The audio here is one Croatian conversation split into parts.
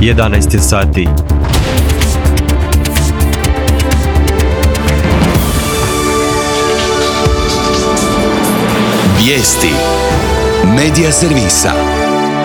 11 je sati. Vijesti Medija servisa.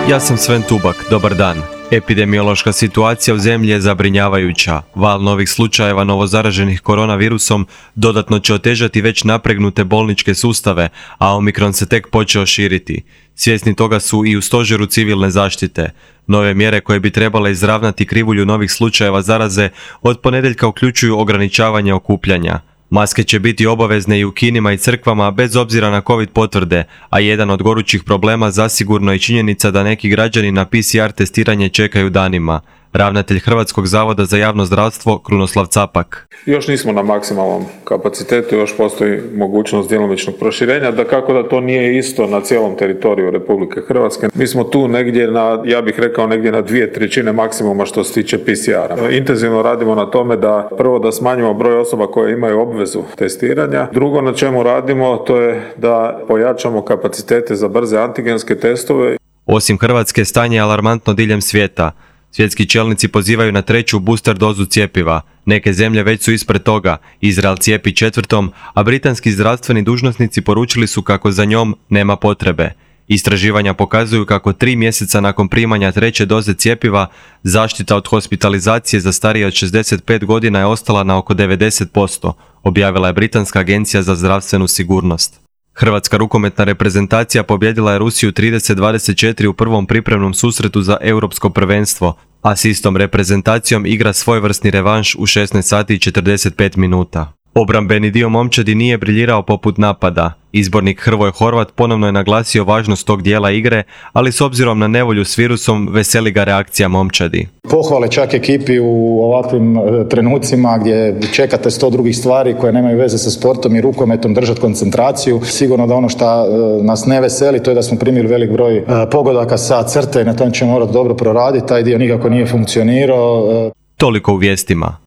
Ja sam Sven Tubak, dobar dan. Epidemiološka situacija u zemlji je zabrinjavajuća. Val novih slučajeva novozaraženih koronavirusom dodatno će otežati već napregnute bolničke sustave, a Omikron se tek počeo širiti. Svjesni toga su i u stožeru civilne zaštite. Nove mjere koje bi trebale izravnati krivulju novih slučajeva zaraze od ponedjeljka uključuju ograničavanje okupljanja. Maske će biti obavezne i u kinima i crkvama bez obzira na COVID potvrde, a jedan od gorućih problema zasigurno je činjenica da neki građani na PCR testiranje čekaju danima. Ravnatelj Hrvatskog zavoda za javno zdravstvo Krunoslav Capak. Još nismo na maksimalnom kapacitetu, još postoji mogućnost djelomičnog proširenja, dakako da to nije isto na cijelom teritoriju Republike Hrvatske. Mi smo tu negdje ja bih rekao negdje na 2/3 maksimuma što se tiče PCR-a. Intenzivno radimo na tome da prvo da smanjimo broj osoba koje imaju obvezu testiranja. Drugo na čemu radimo to je da pojačamo kapacitete za brze antigenske testove. Osim Hrvatske, stanje je alarmantno diljem svijeta. Svjetski čelnici pozivaju na 3. booster dozu cjepiva. Neke zemlje već su ispred toga. Izrael cijepi 4., a britanski zdravstveni dužnosnici poručili su kako za njom nema potrebe. Istraživanja pokazuju kako 3 mjeseca nakon primanja 3. doze cjepiva, zaštita od hospitalizacije za starije od 65 godina je ostala na oko 90%, objavila je Britanska agencija za zdravstvenu sigurnost. Hrvatska rukometna reprezentacija pobijedila je Rusiju 30-24 u prvom pripremnom susretu za europsko prvenstvo, a s istom reprezentacijom igra svojevrsni revanš u 16 sati i 45 minuta. Obrambeni dio momčadi nije briljirao poput napada. Izbornik Hrvoje Horvat ponovno je naglasio važnost tog dijela igre, ali s obzirom na nevolju s virusom veseli ga reakcija momčadi. Pohvale čak ekipi u ovakvim trenucima gdje čekate 100 drugih stvari koje nemaju veze sa sportom i rukometom, držati koncentraciju. Sigurno da ono što nas ne veseli to je da smo primili velik broj pogodaka sa crte i na tom ćemo morati dobro proraditi. Taj dio nikako nije funkcionirao. Toliko u vijestima.